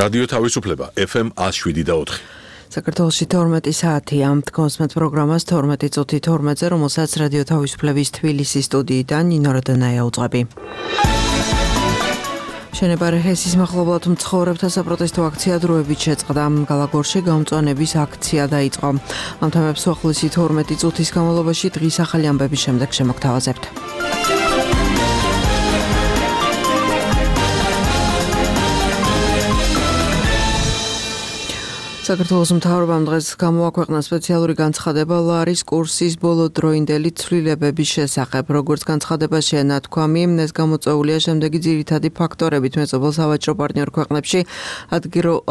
რადიო თავისუფლება FM 107.4. საქართველოში 12 საათია. თქვენს პროგრამას 12 წუთი 12-ზე, რომელსაც რადიო თავისუფლების თბილისის სტუდიიდან ნინო როდანაია უძღვები. შენება რეხესის მახლობლად მცხოვრებთა საპროტესტო აქცია დროებით შეწყდა. გალაგორში გამწვანების აქცია დაიწყო. ამ თემებს უახლოესი 12 წუთის განმავლობაში დღის ახალი ამბების შემდეგ შემოგთავაზებთ. საქართველოს მთავრობამ დღეს გამოაქვეყნა სპეციალური განცხადება ლარის კურსის ბოლოდროინდელი ცვლილებების შესახებ. როგორც განცხადებაშია ნათქვამი, ეს გამოწვეულია შემდეგი ძირითადი ფაქტორებით: მეწობელ სავაჭრო პარტნიორ ქვეყნებში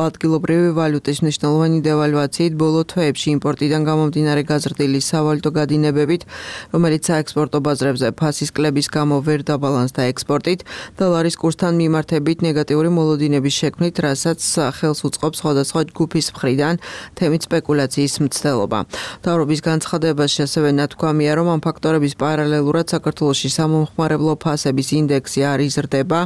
ადგილობრივი ვალუტის მნიშვნელოვანი დევალვაციით, ბოლო თვეებში იმპორტიდან გამომდინარე გაზრდილი სავალუტო გადინებებით, რომელიც საექსპორტო ბაზრებზე ფასის კლების გამო ვერ დაბალანსდა ექსპორტით და ლარის კურსთან მიმართებით ნეგატიური მოლოდინების შექმნით, რასაც ხელს უწყობს სხვადასხვა ჯგუფის მხრიდან თემით სპეკულაციის მცდელობა. მთავრობის განცხადებაში ასევე ნათქვამია, რომ ამ ფაქტორების პარალელურად საქართველოში სამომხმარებლო ფასების ინდექსი არ იზრდება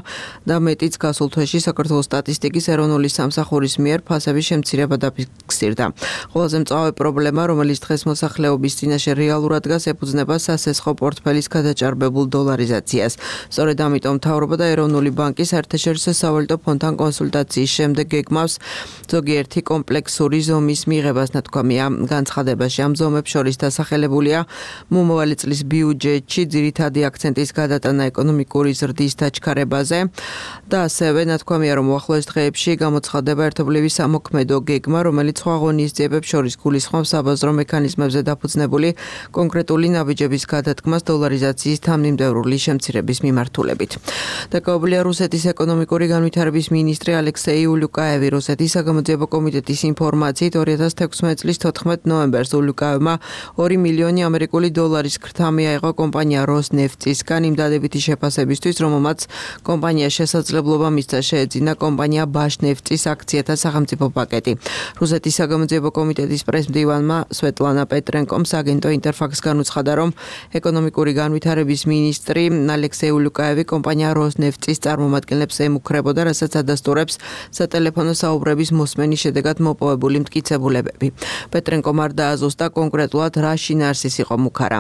და მეტიც გასულ თვეში საქართველოს სტატისტიკის ეროვნული სამსახურის მიერ ფასების შემცირება დაფიქსირდა. ყველაზე მწვავე პრობლემა, რომელიც დღეს მოსახლეობის წინაშე რეალურად დგას, ეფუძნება სასესხო პორტფელის გადაჭარბებულ დოლარიზაციას. სწორედ ამიტომ მთავრობა და ეროვნული ბანკი საერთაშორისო სავალუტო ფონდთან კონსულტაციის შემდეგ გეგმავს ზოგიერთი კომპლექსური ზომის მიღებას. ნათქვამია განცხადებაში. ამ ზომებს შორის დასახელებულია მომავალი წლის ბიუჯეტში ძირითადი აქცენტის გადატანა ეკონომიკური ზრდის დაჩქარებაზე და ასევე ნათქვამია, რომ უახლოეს დღეებში გამოცხადდება ერთობლივი სამოქმედო გეგმა, რომელიც სხვა ღონისძიებებს შორის გულისხმობს საბაზრო მექანიზმებზე დაფუძნებული კონკრეტული ნაბიჯების გადადგმას დოლარიზაციის თანმიმდევრული შემცირების მიმართულებით. დაკავებულია რუსეთის ეკონომიკური განვითარების მინისტრი ალექსეი ულუკაევი. რუსეთის საგამოძიებო კომიტეტის ინფორმაციით 2016 წლის 14 ნოემბერს ულუკაევმა 2 მილიონი ამერიკული დოლარის ქრთა მიაიღო კომპანია როსნეფტისგან იმ დადებითი შეფასებისთვის, რომელმაც კომპანია შესაძლებლობა მისცა შეეძინა კომპანია ბაშნეფტის აქციათა სახელმწიფო პაკეტი. რუსეთის საგამოძიებო კომიტეტის პრესმდივანმა სვეტლანა პეტრენკომ აგენტო ინტერფაქს განუცხადა, რომ ეკონომიკური განვითარების მინისტრი ალექსეი ულუკაევი კომპანია როსნეფტის წარმომადგენლებს ემუქრებოდა, რასაც ადასტურებს სატელეფონო საუბრების მოსმენის შედეგად მოპოვებული მტკიცებულებები. პეტრენკომ არ დააზუსტა კონკრეტულად რა შინაარსის იყო მუქარა.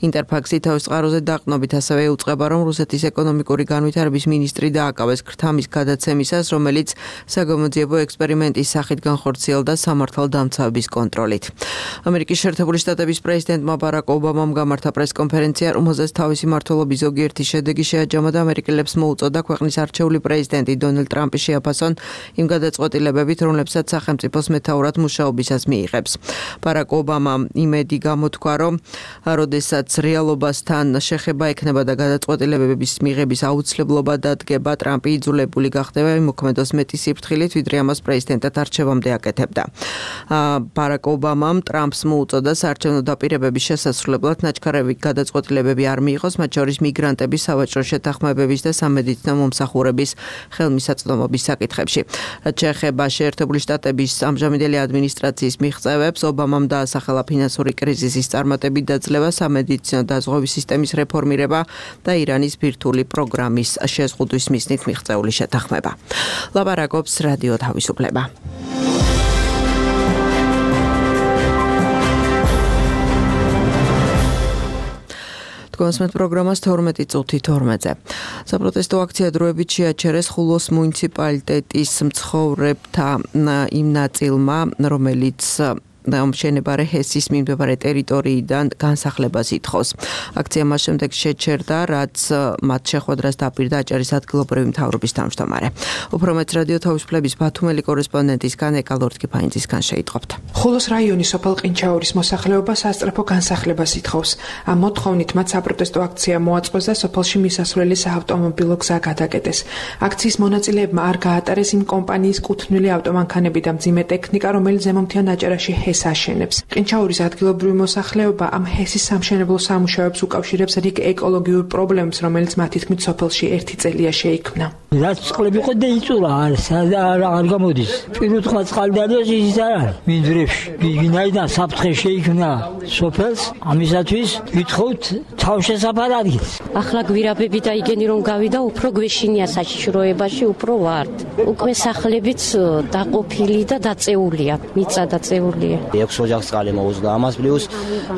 ინტერფაქსი თავის წყაროზე დაყნობით ასევე უწყება, რომ რუსეთის ეკონომიკური განვითარების მინისტრი დააკავეს ქრთამის გადაცემისას, რომელიც საგამოძიებო ექსპერიმენტის სახით განხორციელდა სამართალდამცავების კონტროლით. ამერიკის შეერთებული შტატების პრეზიდენტმა ბარაკ ობამამ გამართა პრესკონფერენცია, რომელზეც თავისი მმართველობის ზოგიერთი შედეგი შეაჯამა და ამერიკელებს მოუწოდა ქვეყნის არჩეული პრეზიდენტი დონალდ ტრამპი შეაფასონ იმ გადაწყვეტილებებით, რომლებსაც სახელმწიფოს მეთაურად მუშაობისას მიიღებს. ბარაკ ობამამ იმედი გამოთქვა, რომ როდესაც რეალობასთან შეხება ექნება და გადაწყვეტილებების მიღების აუცილებლობა დადგება, ტრამპი იძულებული გახდება იმოქმედოს მეტი სიფრთხილით, ვიდრე ამას პრეზიდენტად არჩევამდე აკეთებდა. ბარაკ ობამამ ტრამპს მოუწოდა საარჩევნო დაპირებების შესასრულებლად ნაჩქარევი გადაწყვეტილებები არ მიიღოს, მათ შორის მიგრანტების სავაჭრო შეთანხმებების და სამედიცინო მომსახურების ხელმისაწვდომობის საკითხებში. რაც შეეხება შეერთებული შტატების ამჟამინდელი ადმინისტრაციის მიღწევებს, ობამამ დაასახელა ფინანსური კრიზისის წარმატებით დაძლევა, სამედიცინო დაზღვევის სისტემის რეფორმირება და ირანის ბირთვული პროგრამის შეზღუდვის მიზნით მიღწეული შეთანხმება. ლაპარაკობს რადიო თავისუფლება. თქვენს პროგრამას 12 წუთი 12-ზე. საპროტესტო აქცია დროებით შეაჩერეს ხულოს მუნიციპალიტეტის მცხოვრებთა იმ ნაწილმა, რომელიც შენება რეხესის მიმდებარე ტერიტორიიდან განსახლებას ითხოვს. აქცია მას შემდეგ შეჩერდა, რაც მათ შეხვედრას დაპირდა აჭარის ადგილობრივი მთავრობის თავმჯდომარე. უფრო მეტ რადიო თავისუფლების ბათუმელი კორესპონდენტისგან ეკა ლორთქიფანიძისგან შეიტყობთ. ხულოს რაიონის სოფელ ყინჩაურის მოსახლეობა სასწრაფო განსახლებას ითხოვს. ამ მოთხოვნით მათ საპროტესტო აქცია მოაწყვეს და სოფელში მისასვლელი საავტომობილო გზა გადაკეტეს. აქციის მონაწილეებმა არ გაატარეს იმ კომპანიის კუთვნილი ავტომანქანები და მძიმე ტექნიკა, რომელიც ზემომთიან აჭარაში ჰეს აშენებს. ყინჩაურის ადგილობრივი მოსახლეობა ამ ჰესის სამშენებლო სამუშაოებს უკავშირებს რიგ ეკოლოგიურ პრობლემებს, რომელიც მათი თქმით სოფელში 1 წელია შეიქმნა. რაც წყლები ხო დაიწურა არ გამოდის. პირუტყვა წყალი დადოს ის არ არის. მინდვრებში ვინაიდან საფრთხე შეიქმნა სოფელს, ამისათვის ვითხოვთ თავშესაფარ ადგილს. ახლა გვირაბები და იგენი რომ გავიდა, უფრო გვეშინია საშიშროებაში, უფრო ვართ. უკვე სახლებიც დაყოფილი და დაწეულია, მიწა დაწეულია. 6 ოჯახს წყალი მოუწდა. ამას პლუს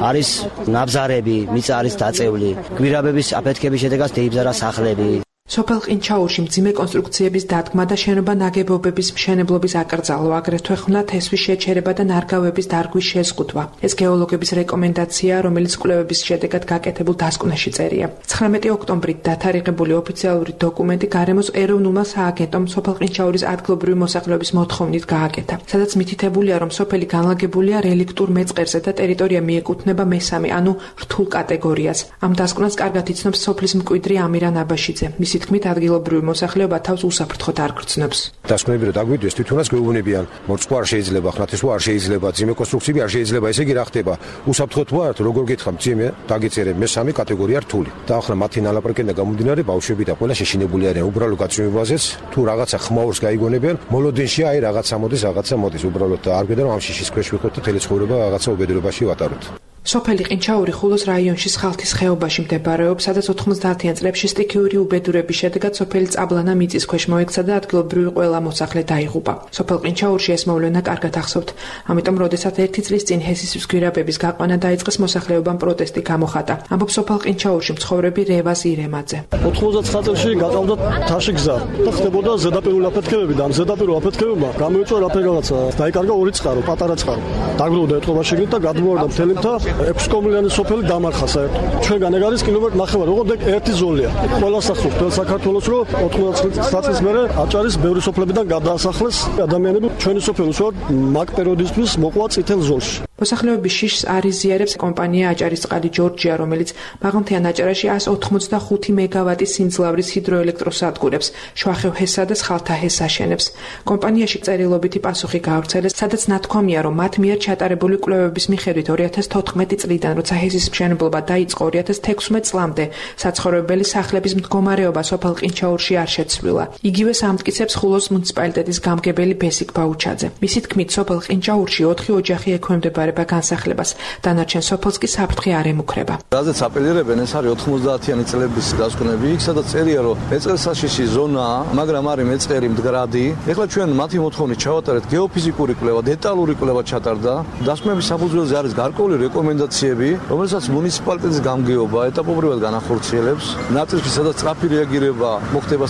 არის ნაბზარები, მიწა არის დაწეული. გვირაბების აფეთქების შედეგად დაიბზარა სახლები. სოფელ ყინჩაურში მძიმე კონსტრუქციების დადგმა და შენობა ნაგებობების მშენებლობის აკრძალვა, აგრეთვე ხვნა თესვის შეჩერება და ნარგავების დარგვის შეზღუდვა. ეს გეოლოგების რეკომენდაციაა, რომელიც კვლევების შედეგად გაკეთებულ დასკვნაში წერია. 19 ოქტომბრით დათარიღებული ოფიციალური დოკუმენტი გარემოს ეროვნულმა სააგენტომ სოფელ ყინჩაურის ადგილობრივი მოსახლეობის მოთხოვნით გააკეთა, სადაც მითითებულია, რომ სოფელი განლაგებულია რელიქტურ მეწყერზე და ტერიტორია მიეკუთვნება მესამე, ანუ რთულ კატეგორიას. ამ დასკვნას კარგად იცნობს სოფლის მკვიდრი ამირან აბაშიძე. მისი თქმით, ადგილობრივი მოსახლეობა თავს უსაფრთხოდ არ გრძნობს. დასკვნები რომ დაგვიდეს, თვითონაც გვეუბნებიან, მორწყვა არ შეიძლება, ხნათესვა არ შეიძლება, ძიმე კონსტრუქციები არ შეიძლება, ესე იგი რა ხდება? უსაფრთხოდ ვართ, როგორ გითხრა, ძიმე დაგეწერე მესამე კატეგორია რთული. და ახლა მათი ნალაპარაკიდან გამომდინარე, ბავშვები და ყველა შეშინებული არიან უბრალო გაცნობებაზეც, თუ რაღაცა ხმაურს გაიგონებიან, მოლოდინში აი რაღაცა მოდის, უბრალოდ არ გვედა რომ ამ შიშის ქვეშ ვიყოთ და თელი ცხოვრება რაღაცა უბედურებაში ვატაროთ. სოფელი ყინჩაური ხულოს რაიონში სხალთის ხეობაში მდებარეობს, სადაც 90-იან წლებში სტიქიური უბედურების შედეგად სოფელი წაბლანა მიწის ქვეშ მოექცა და ადგილობრივი ყველა მოსახლე დაიღუპა. სოფელ ყინჩაურში ეს მოვლენა კარგად ახსოვთ. ამიტომ, როდესაც 1 წლის წინ ჰესის გვირაბების გაყვანა დაიწყეს, მოსახლეობამ პროტესტი გამოხატა. ამბობს სოფელ ყინჩაურში მცხოვრები რევაზ ირემაძე. 99 წელს გაყავდა თაში გზა და ხდებოდა ზედაპირული აფეთქებები და ამ ზედაპირულ აფეთქებებმა გამოიწვია რაღაცა. დაიკარგა 2 წყარო, პატარა წყარო. დაგროვდა ეთყობა შეგნით და გადმოვარდა მთელი მთა 6 კომლიანი სოფელი დამარხა საერთოდ. ჩვენგან ეგ არის კილომეტრი 9, ოღონდ ეგ ერთი ზოლია. ყველას ახსოვს მთელ საქართველოს, რომ 90 წლის მერე აჭარის ბევრი სოფლებიდან გადაასახლეს ადამიანები. ჩვენი სოფელი უშუალოდ მაგ პერიოდისთვის მოყვა წითელ ზოლში. მოსახლეობის შიშს არ იზიარებს კომპანია აჭარისწყალი ჯორჯია, რომელიც მაღალმთიან აჭარაში 185 მეგავატის სიმძლავრის ჰიდროელექტროსადგურებს შვახევ ჰესა და სხალთა ჰეს აშენებს. კომპანიაში წერილობითი პასუხი გაავრცელეს, სადაც ნათქვამია, რომ მათ მიერ ჩატარებული კვლევების მიხედვით 2014 წლიდან, როცა ჰესის მშენებლობა დაიწყო 2016 წლამდე, საცხოვრებელი სახლების მდგომარეობა სოფელ ყინჩაურში არ შეცვლილა. იგივე ამტკიცებს ხულოს მუნიციპალიტეტის გამგებელი ბესიკ ბაუჩაძე. მისი თქმით, სოფელ ყინჩაურში 4 ოჯახი ექვემდებარება განსახლებას, დანარჩენ სოფელს კი საფრთხე არ ემუქრება. რაზეც აპელირებენ, ეს არის 90-იანი წლების დასკვნები, იქ სადაც წერია, რომ მეწყერსაშიში ზონაა, მაგრამ არის მეწყერი მდგრადი. ეხლა ჩვენ მათი მოთხოვნით ჩავატარეთ გეოფიზიკური კვლევა, დეტალური კვლევა ჩატარდა. დასკვნების საფუძველზე არის გარკვეული რეკომენდაციები, რომელსაც მუნიციპალიტეტის გამგეობა ეტაპობრივად განახორციელებს. ნაწილში სადაც სწრაფი რეაგირება მოხდება,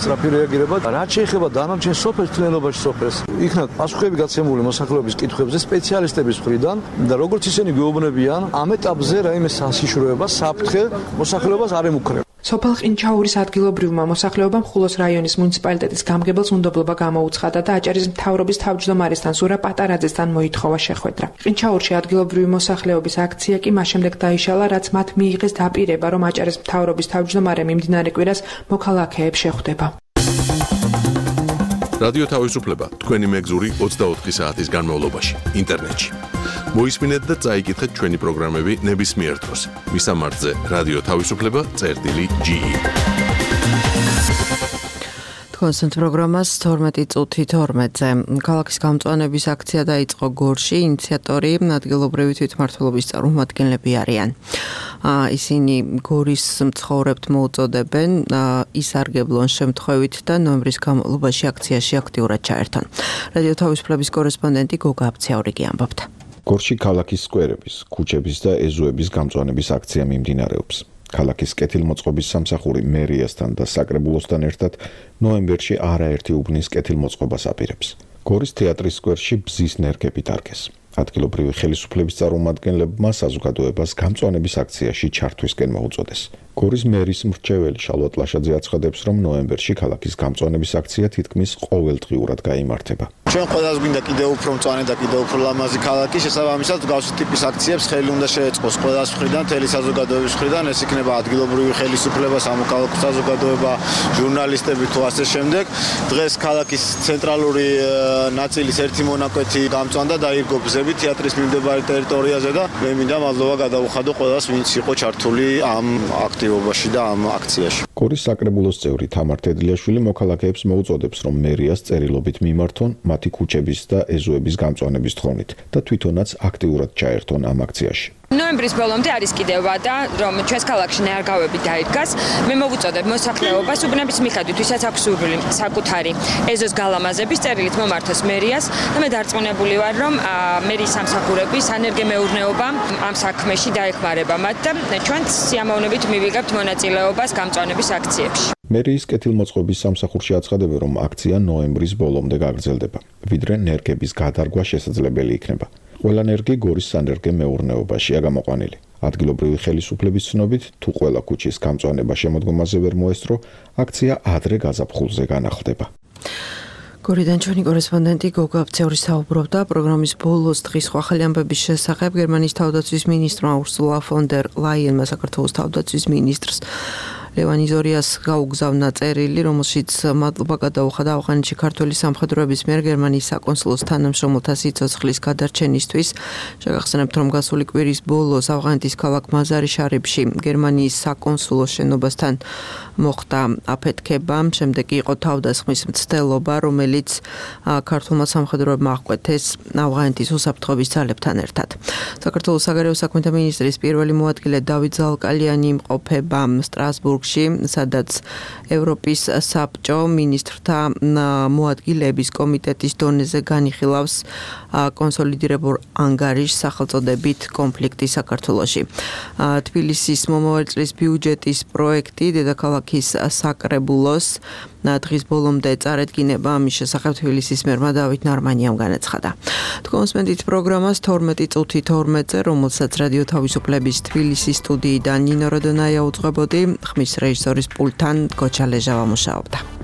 რაც შეეხება დანარჩენ სოფელს, თლიანობაში სოფელს, იქნა პასუხები გაცემული მოსახლეობის კითხვებზე სპეციალისტების მხრიდან და როგორც ისინი გვეუბნებიან, ამ ეტაპზე რაიმე საშიშროება, საფრთხე მოსახლეობას არ ემუქრება. სოფელ ყინჩაურის ადგილობრივმა მოსახლეობამ ხულოს რაიონის მუნიციპალიტეტის გამგებელს უნდობლობა გამოუცხადა და აჭარის მთავრობის თავმჯდომარესთან ზურა პატარაძესთან მოითხოვა შეხვედრა. ყინჩაურში ადგილობრივი მოსახლეობის აქცია კი მას შემდეგ დაიშალა, რაც მათ მიიღეს დაპირება, რომ აჭარის მთავრობის თავმჯდომარე მიმდინარე კვირას მოქალაქეებს შეხვდება. რადიო თავისუფლება თქვენი მეგზური 24 საათის განმავლობაში ინტერნეტში. მოისმინეთ და წაიკითხეთ ჩვენი პროგრამები ნებისმიერ დროს. მისამართზე რადიო თავისუფლება.ge. კონსენტ პროგრამას 12 წუთი 12-ზე. ქალაქის გამწვანების აქცია დაიწყო გორში, ინიციატორი ადგილობრივი თვითმმართველობის წარმომადგენლები არიან. ისინი გორის მცხოვრებთ მოუწოდებენ ისარგებლონ შემთხვევით და ნოემბრის განმავლობაში აქციაში აქტიურად ჩაერთონ. რადიო თავისუფლების კორესპონდენტი გოგა აბცაურიგი ამბობდა. გორში ქალაქის სკვერების, ქუჩების და ეზოების გამწვანების აქცია მიმდინარეობს. ქალაქის კეთილმოწყობის სამსახური მერიასთან და საკრებულოსთან ერთად ნოემბერში არაერთი უბნის კეთილმოწყობას აპირებს. გორის თეატრის სკვერში ბზის ნერგები დარგეს. ადგილობრივი ხელისუფლების წარმომადგენლებმა საზოგადოებას გამწვანების აქციაში ჩართვისკენ მოუწოდეს. გორის მერის მრჩეველი შალვა ტლაშაძე აცხადებს, რომ ნოემბერში ქალაქის გამწვანების აქცია თითქმის ყოველდღიურად გაიმართება. ჩვენ ყველას გვინდა კიდევ უფრო მწვანე და კიდევ უფრო ლამაზი ქალაქი, შესაბამისად მსგავსი ტიპის აქციებს ხელი უნდა შეეწყოს ყველას მხრიდან, მთელი საზოგადოების მხრიდან, ეს იქნება ადგილობრივი ხელისუფლება, სამოქალაქო საზოგადოება, ჟურნალისტები თუ ასე შემდეგ. დღეს ქალაქის ცენტრალური ნაწილის ერთი მონაკვეთი გამწვანდა და ირგო გზები თეატრის მიმდებარე ტერიტორიაზე და მე მინდა მადლობა გადავუხადო ყველას, ვინც იყო ჩართული ამ აქტივობაში და ამ აქციაში. გორის საკრებულოს წევრი თამარ თედლიაშვილი მოქალაქეებს მოუწოდებს, რომ მერიას წერილობით მიმართონ მათი ქუჩების და ეზოების გამწვანების თხოვნით და თვითონაც აქტიურად ჩაერთონ ამ აქციაში. ნოემბრის ბოლომდე არის კიდევა და რომ ჩვენს ქალაქში ნეარგავები დაიდგას, მე მოვუწოდებ მოსახლეობას უბნების მიხედვით, ვისაც აქვს სურვილი საკუთარი ეზოს გალამაზების წერილით მომართოს მერიას და მე დარწმუნებული ვარ, რომ მერიის სამსახურები სანერგემეურნეობა ამ საქმეში დაეხმარება მათ და ჩვენც სიამოვნებით მივიღებთ მონაწილეობას გამწვანების აქციებში. მერიის კეთილმოწყობის სამსახურში აცხადებენ, რომ აქცია ნოემბრის ბოლომდე გაგრძელდება, ვიდრე ნერგების გადარგვა შესაძლებელი იქნება. ყველა ნერგი გორის სანერგემეურნეობაშია გამოყვანილი. ადგილობრივი ხელისუფლების ცნობით, თუ ყველა ქუჩის გამწვანება შემოდგომაზე ვერ მოესწრო, აქცია ადრე გაზაფხულზე განახლდება. გორიდან ჩვენი კორესპონდენტი გოგა აბცევრი საუბრობდა პროგრამის ბოლოს დღის ახალი ამბების შესახებ. გერმანიის თავდაცვის მინისტრმა ურსულა ფონ დერ ლაიენმა საქართველოს თავდაცვის მინისტრს ლევან იზორიას გაუგზავნა წერილი, რომელშიც მადლობა გადაუხადა ავღანეთში ქართველი სამხედროების მიერ გერმანიის საკონსულოს თანამშრომელთა სიცოცხლის გადარჩენისთვის. შეგახსენებთ, რომ გასული კვირის ბოლოს ავღანეთის ქალაქ მაზარი შარიფში გერმანიის საკონსულოს შენობასთან მოხდა აფეთქება, შემდეგ იყო თავდასხმის მცდელობა, რომელიც ქართულმა სამხედროებმა აღკვეთეს ავღანეთის უსაფრთხოების ძალებთან ერთად. საქართველოს საგარეო საქმეთა მინისტრის პირველი მოადგილე დავით ზალკალიანი იმყოფება სტრასბურგში, სადაც ევროპის საბჭო მინისტრთა მოადგილეების კომიტეტის დონეზე განიხილავს კონსოლიდირებულ ანგარიშს სახელწოდებით კონფლიქტი საქართველოში. თბილისის მომავალი წლის ბიუჯეტის პროექტი დედაქალაქის საკრებულოს დღის ბოლომდე წარედგინება, ამის შესახებ თბილისის მერმა დავით ნარმანიამ განაცხადა. თქვენს პროგრამას 12:12-ზე, რომელსაც რადიო თავისუფლების თბილისის სტუდიიდან ნინო როდონაია უძღვებოდი, ხმის რეჟისორის პულტთან გოჩა ლეჟავა მუშაობდა.